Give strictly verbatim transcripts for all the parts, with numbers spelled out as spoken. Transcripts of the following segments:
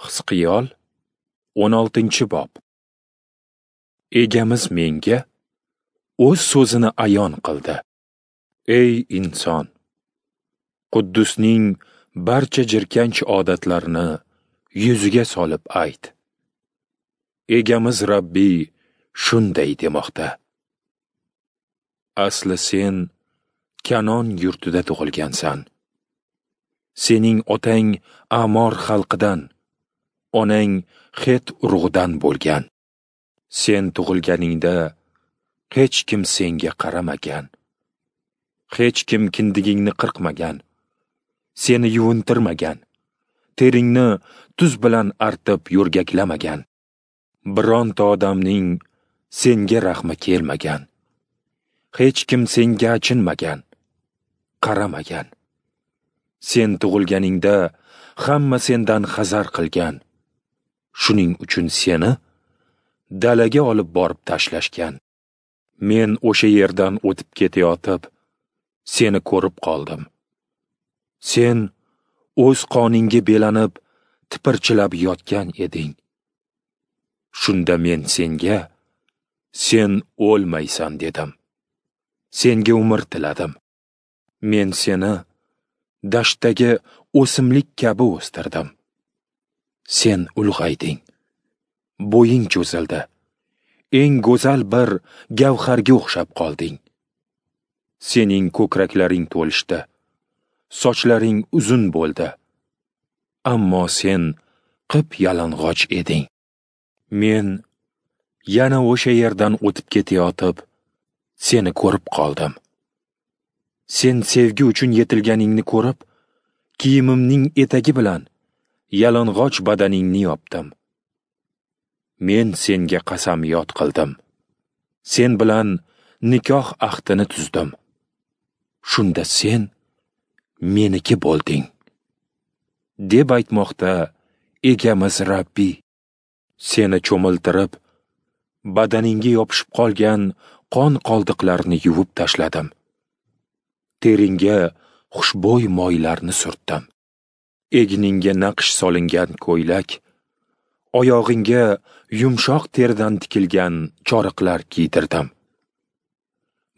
Hizqiyol o'n oltinchi bob. Egamiz menga o'z so'zini ayon qildi. Ey inson, Quddusning barcha jirkanch odatlarini yuziga solib ayt. Egamiz Rabbiy shunday demoqda: Asli sen Kanon yurtida tug'ilgansan. Sening otang Amor xalqidan, onang Het urug'idan bo'lgan. Sen tug'ilganingda hech kim senga qaramagan. Hech kim kindigingni qirqmagan, seni yuvintirmagan, teringni tuz bilan artib yo'rgaklamagan. Bironta odamning senga rahmi kelmagan. Hech kim senga achinmagan, qaramagan. Sen tug'ilganingda hamma sendan hazar qilgan. Shuning uchun seni dalaga olib borib tashlashgan. Men o'sha yerdan o'tib ketayotib, seni ko'rib qoldim. Sen o'z qoningga belanib, tipirchilab yotgan eding. Shunda men senga, sen o'lmaysan dedim. Senga umr tiladim. Men seni dashtdagi o'simlik kabi o'stirdim. Sen ulg'ayding. Bo'ying cho'zildi. Eng go'zal bir gavharga o'xshab qolding. Sening ko'kraklaring to'lishdi. Sochlaring uzun bo'ldi. Ammo sen qip-yalang'och eding. Men yana o'sha yerdan o'tib ketayotib, seni ko'rib qoldim. Sen sevgi uchun yetilganingni ko'rib, kiyimimning etagi bilan yalang'och badaningni yopdim. Men senga qasamyod qildim. Sen bilan nikoh ahdini tuzdim. Shunda sen meniki bo'lding, deb aytmoqda Egamiz Rabbiy. Seni cho'miltirib, badaningga yopishib qolgan qon qoldiqlarini yuvib tashladim. Teringga xushbo'y moylarni surtdim. Egningga naqsh solingan ko'ylak, oyog'ingga yumshoq teridan tikilgan choriqlar kiydirdim.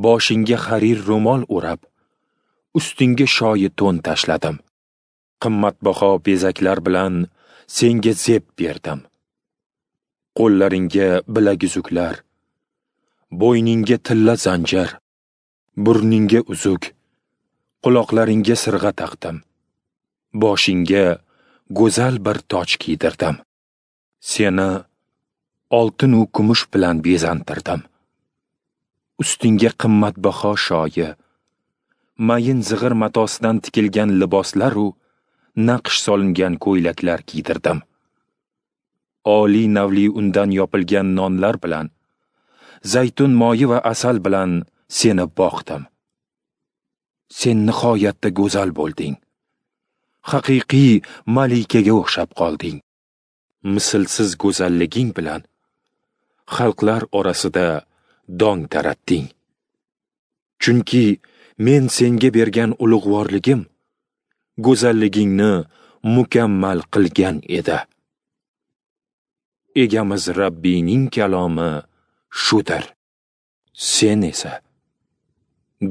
Boshingga harir ro'mol o'rab, ustingga shoyi to'n tashladim. Qimmatbaho bezaklar bilan senga zeb berdim. Qo'llaringga bilaguzuklar, bo'yningga tilla zanjir, burningga uzuk, quloqlaringga sirg'a taqdim. Boshingga go'zal bir toj kiydirdim. Seni oltin u kumush bilan bezantirdim. Ustingga qimmatbaho shoyi, mayin zig'ir matosidan tikilgan liboslar u naqsh solingan ko'ylaklar kiydirdim. Oliy navli undan yopilgan nonlar bilan, zaytun moyi va asal bilan seni boqdim. Sen nihoyatda go'zal bo'lding. Haqiqiy malikaga o'xshab qolding. Mislsiz go'zalliging bilan xalqlar orasida dong taratding. Chunki men senga bergan ulug'vorligim go'zalligingni mukammal qilgan edi. Egamiz Rabbiyning kalomi shudir. Sen esa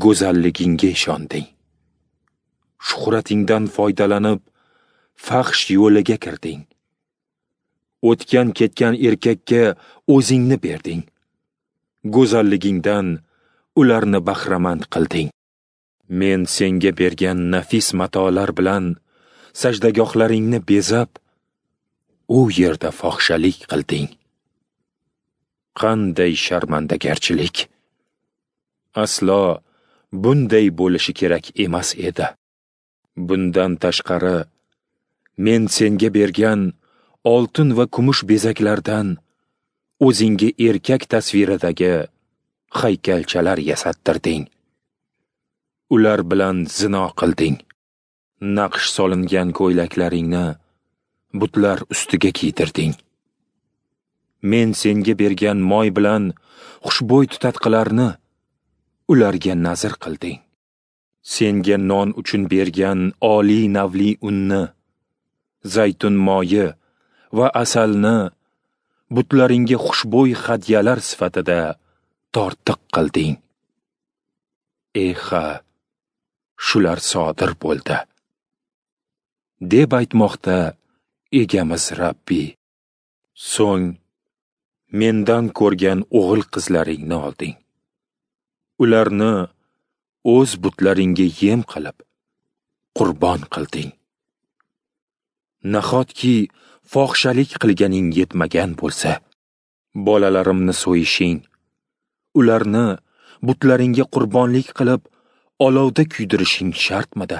go'zalligingga ishonding. Shuhratingdan foydalanib, fahsh yo'liga kirding. O'tgan ketgan erkakka o'zingni berding. Go'zalligingdan ularni bahramand qilding. Men senga bergan nafis matolar bilan sajdagohlaringni bezab, u yerda fohishalik qilding. Qanday sharmandagarchilik! Aslo bunday bo'lishi kerak emas edi. Bundan tashqari, men senga bergan oltin va kumush bezaklardan o'zingga erkak tasviridagi haykalchalar yasattirding. Ular bilan zino qilding. Naqsh solingan ko'ylaklaringni butlar ustiga kiydirding. Men senga bergan moy bilan xushbo'y tutatqilarni ularga nazr qilding. Senga non uchun bergan oliy navli unni, zaytun moyi va asalni butlaringga xushbo'y hadyalar sifatida tortiq qilding. Eha, shular sodir bo'ldi, deb aytmoqda Egamiz Rabbiy. So'ng mendan ko'rgan o'g'il qizlaringni olding. Ularni o'z butlaringga yem qilib, qurbon qilding. Nahotki fohishalik qilganing yetmagan bo'lsa, bolalarimni so'yishing, ularni butlaringga qurbonlik qilib, olovda kuydirishing shartmidi?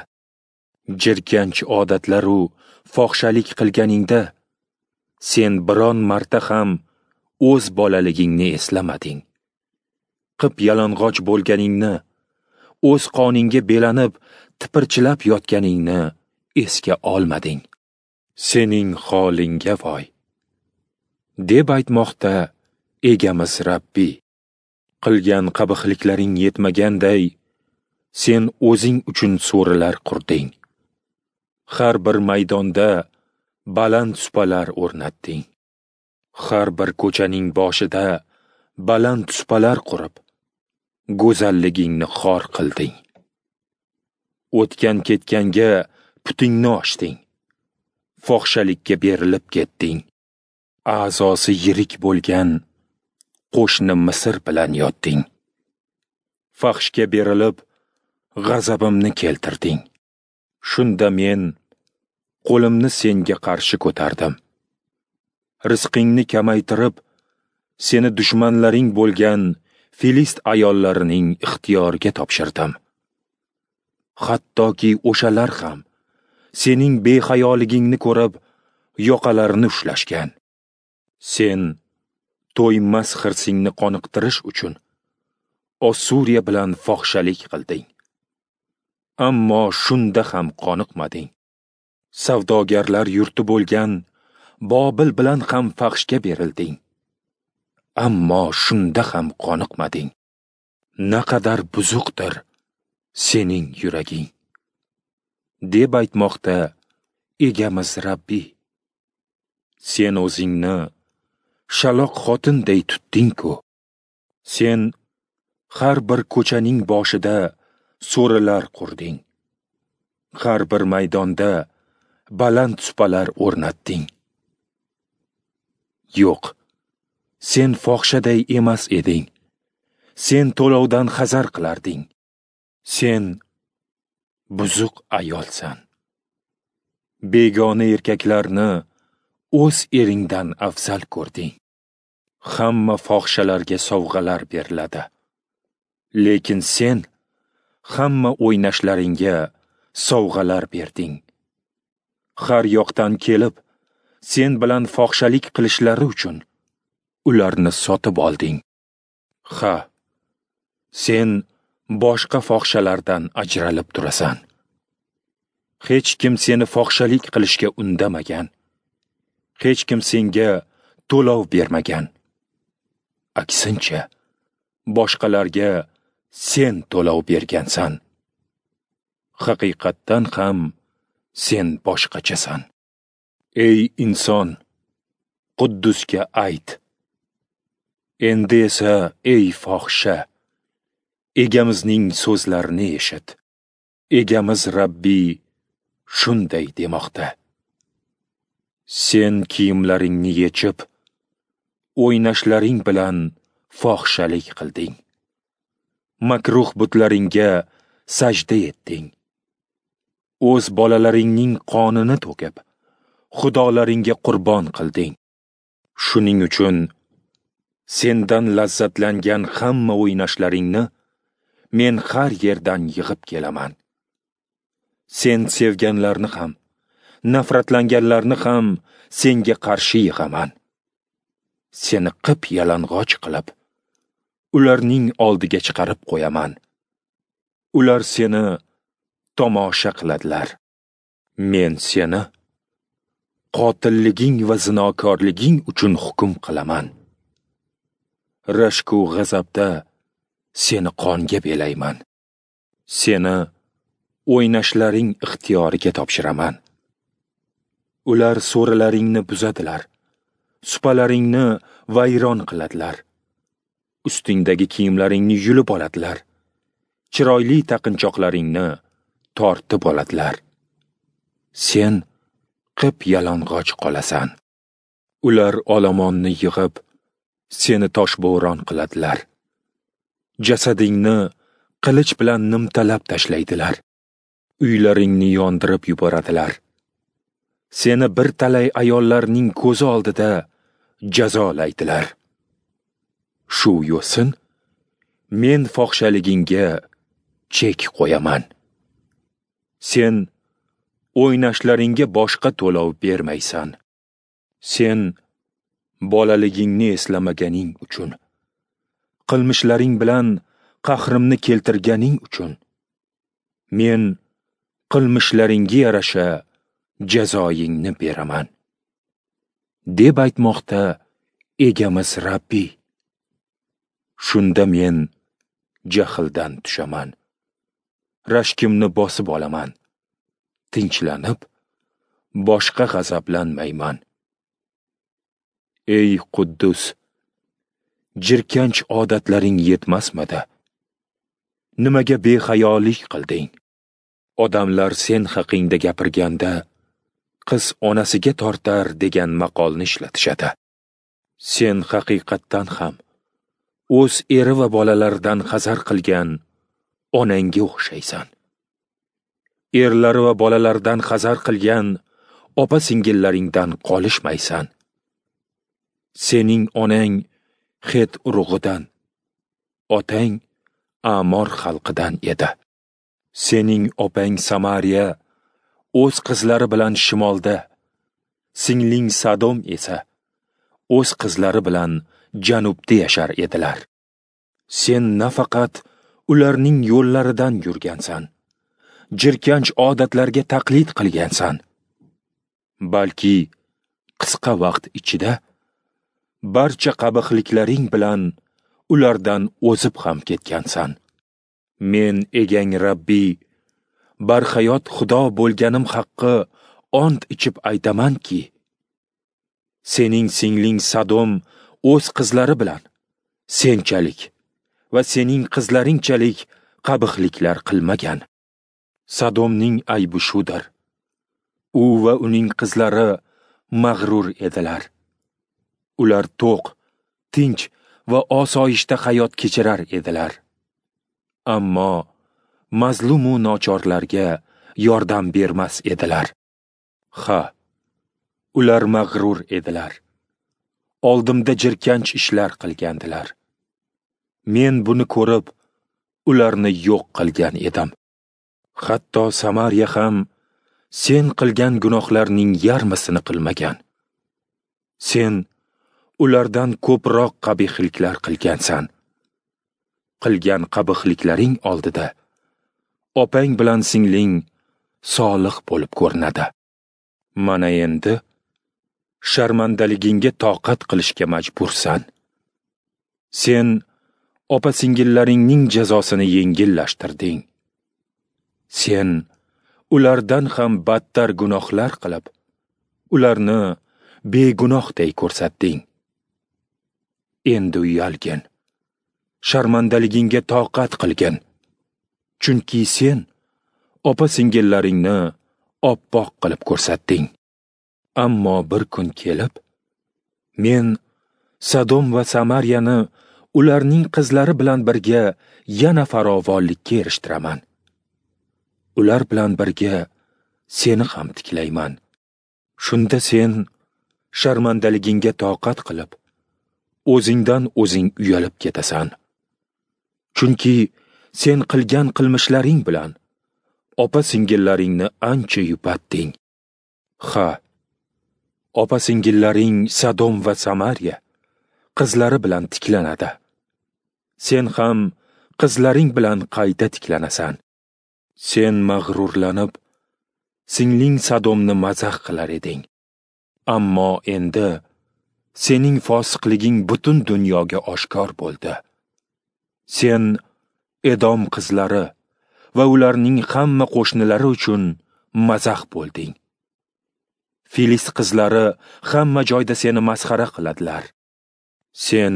Jirkanch odatlar-u fohishalik qilganingda sen biron marta ham o'z bolaligingni eslamading. Qip yalang'och bo'lganingni, o'z qoningga belanib, tipirchilab yotganingni esga olmading. Sening holingga voy, deb aytmoqda Egamiz Rabbiy. Qilgan qabihliklaring yetmaganday, sen o'zing uchun so'rilar qurding. Har bir maydonda baland supalar o'rnatding. Har bir ko'chaning boshida baland supalar qurib, go'zalligingni xor qilding. O'tgan-ketganga putingni ochding. Fohishalikka berilib ketding. A'zosi yirik bo'lgan qo'shni Misr bilan yotding. Fahshga berilib, g'azabimni keltirding. Shunda men qo'limni senga qarshi ko'tardim. Rizqingni kamaytirib, seni dushmanlaring bo'lgan Filist ayollarining ixtiyoriga topshirdim. Hattoki o'shalar ham sening behayoligingni ko'rib, yoqalarini ushlashgan. Sen to'ymas hirsingni qoniqtirish uchun Ossuriya bilan fohishalik qilding. Ammo shunda ham qoniqmading. Savdogarlar yurti bo'lgan Bobil bilan ham fahshga berilding. Ammo shunda ham qoniqmading. Naqadar buzuqdir sening yuraging, deb aytmoqda Egamiz Rabbiy. Sen o'zingni shaloq xotinday tutding-ku. Sen har bir ko'chaning boshida so'rilar qurding. Har bir maydonda baland supalar o'rnatding. Yo'q, sen fohishaday emas eding. Sen to'lovdan hazar qilarding. Sen buzuq ayolsan. Begona erkaklarni o'z eringdan afzal ko'rding. Hamma fohishalarga sovg'alar beriladi. Lekin sen hamma o'ynashlaringga sovg'alar berding. Har yoqdan kelib, sen bilan fohishalik qilishlari uchun ularni sotib olding. Ha, sen boshqa fohishalardan ajralib turasan. Hech kim seni fohishalik qilishga undamagan. Hech kim senga to'lov bermagan. Aksincha, boshqalarga sen to'lov bergansan. Haqiqatdan ham sen boshqachasan. Ey inson, Quddusga ayt. Endi esa ey fohisha, Egamizning so'zlarini eshit. Egamiz Rabbiy shunday demoqda: Sen kiyimlaringni yechib, o'ynashlaring bilan fohishalik qilding. Makruh butlaringga sajda etding. O'z bolalaringning qonini to'kib, xudolaringga qurbon qilding. Shuning uchun sendan lazzatlangan hamma o'ynashlaringni men har yerdan yig'ib kelaman. Sen sevganlarni ham, nafratlanganlarni ham senga qarshi yig'aman. Seni qip yalang'och qilib, ularning oldiga chiqarib qo'yaman. Ular seni tomosha qiladilar. Men seni qotilliging va zinokorliging uchun hukm qilaman. Rashku g'azabda seni qonga belayman. Seni o'ynashlaring ixtiyoriga topshiraman. Ular so'rilaringni buzadilar, supalaringni vayron qiladilar. Ustingdagi kiyimlaringni yulib oladilar, chiroyli taqinchoqlaringni tortib oladilar. Sen qip yalang'och qolasan. Ular olomonni yig'ib, seni toshbo'ron qiladilar. Jasadingni qilich bilan nimtalab tashlaydilar. Uylaringni yondirib yuboradilar. Seni bir talay ayollarning ko'zi oldida jazolaydilar. Shu yo'sin men fohishaligingga chek qo'yaman. Sen o'ynashlaringga boshqa to'lov bermaysan. Sen bolaligingni eslamaganing uchun, qilmishlaring bilan qahrimni keltirganing uchun, men qilmishlaringga yarasha jazoyingni beraman, deb aytmoqda Egamiz Rabbiy. Shunda men jahldan tushaman, rashkimni bosib olaman, tinchlanib, boshqa g'azablanmayman. Ey Quddus, jirkanch odatlaring yetmasmidi? Nimaga behayolik qilding? Odamlar sen haqingda gapirganda, qiz onasiga tortar degan maqolni ishlatishadi. Sen haqiqatdan ham o'z eri va bolalaridan hazar qilgan onangga o'xshaysan. Erlari va bolalaridan hazar qilgan opa-singillaringdan qolishmaysan. Sening onang Het urug'idan, otang Amor xalqidan edi. Sening opang Samariya o'z qizlari bilan shimolda, singling Sodom esa o'z qizlari bilan janubda yashar edilar. Sen nafaqat ularning yo'llaridan yurgansan, jirkanch odatlarga taqlid qilgansan, balki qisqa vaqt ichida barcha qabihliklaring bilan ulardan o'zib ham ketgansan. Men egang Rabbiy, barhayot Xudo bo'lganim haqqi ont ichib aytamanki, sening singling Sodom o'z qizlari bilan senchalik va sening qizlaringchalik qabihliklar qilmagan. Sodomning aybi shudir. U va uning qizlari mag'rur edilar. Ular to'q, tinch va osoyishta hayot kechirar edilar. Ammo mazlumu nochorlarga yordam bermas edilar. Ha, ular mag'rur edilar. Oldimda jirkanch ishlar qilgandilar. Men buni ko'rib, ularni yo'q qilgan edim. Hatto Samariya ham sen qilgan gunohlarning yarmisini qilmagan. Sen ulardan ko'proq qabihliklar qilgansan. Qilgan qabihliklaring oldida opang bilan singling solih bo'lib ko'rinadi. Mana endi sharmandaligingga toqat qilishga majbursan. Sen opa-singillaringning jazosini yengillashtirding. Sen ulardan ham battar gunohlar qilib, ularni begunohday ko'rsatding. Endi uyalgin, sharmandaligingga toqat qilgin. Chunki sen opa-singillaringni oppoq qilib ko'rsatding. Ammo bir kun kelib, men Sodom va Samariyani ularning qizlari bilan birga yana farovonlikka erishtiraman. Ular bilan birga seni ham tiklayman. Shunda sen sharmandaligingga toqat qilib, o'zingdan o'zing uyalib ketasan. Chunki sen qilgan qilmishlaring bilan opa-singillaringni ancha yupatding. Ha, opa-singillaring Sodom va Samariya qizlari bilan tiklanadi. Sen ham qizlaring bilan qayta tiklanasan. Sen mag'rurlanib, singling Sodomni mazax qilar eding. Ammo endi sening fosiqliging butun dunyoga oshkor bo'ldi. Sen Edom qizlari va ularning hamma qo'shnilari uchun mazax bo'lding. Filist qizlari hamma joyda seni masxara qiladilar. Sen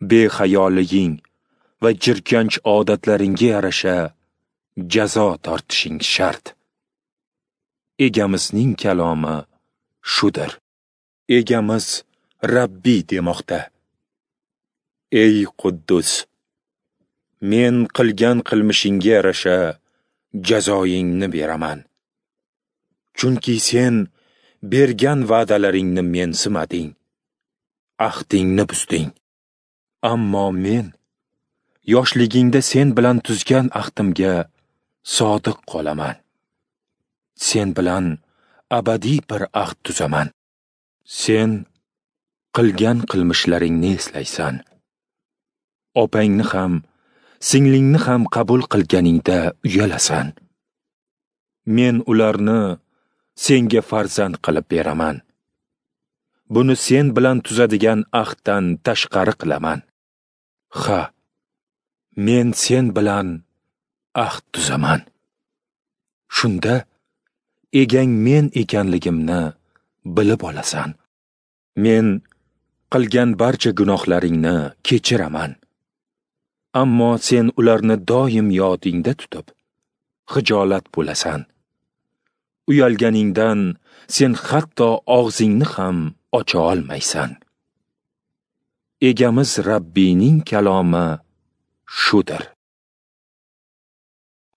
behayoliging va jirkanch odatlaringga yarasha jazo tortishing shart. Egamizning kalomi shudir. Egamiz Rabbiy demoqda: Ey Quddus, men qilgan qilmishingga yarasha jazoyingni beraman. Chunki sen bergan va'dalaringni mensimading, ahdingni buzding. Ammo men yoshligingda sen bilan tuzgan ahdimga sodiq qolaman. Sen bilan abadiy bir ahd tuzaman. Sen qilgan qilmishlaringni eslaysan. Opangni ham, singlingni ham qabul qilganingda uyalasan. Men ularni senga farzand qilib beraman. Buni sen bilan tuzadigan ahddan tashqari qilaman. Ha, men sen bilan ahd tuzaman. Shunda egang men ekanligimni bilib olasan. Men qilgan barcha gunohlaringni kechiraman. Ammo sen ularni doim yodingda tutib, xijolat bo'lasan. Uyalganingdan sen hatto og'zingni ham ocha olmaysan. Egamiz Rabbiyning kalomi shudir.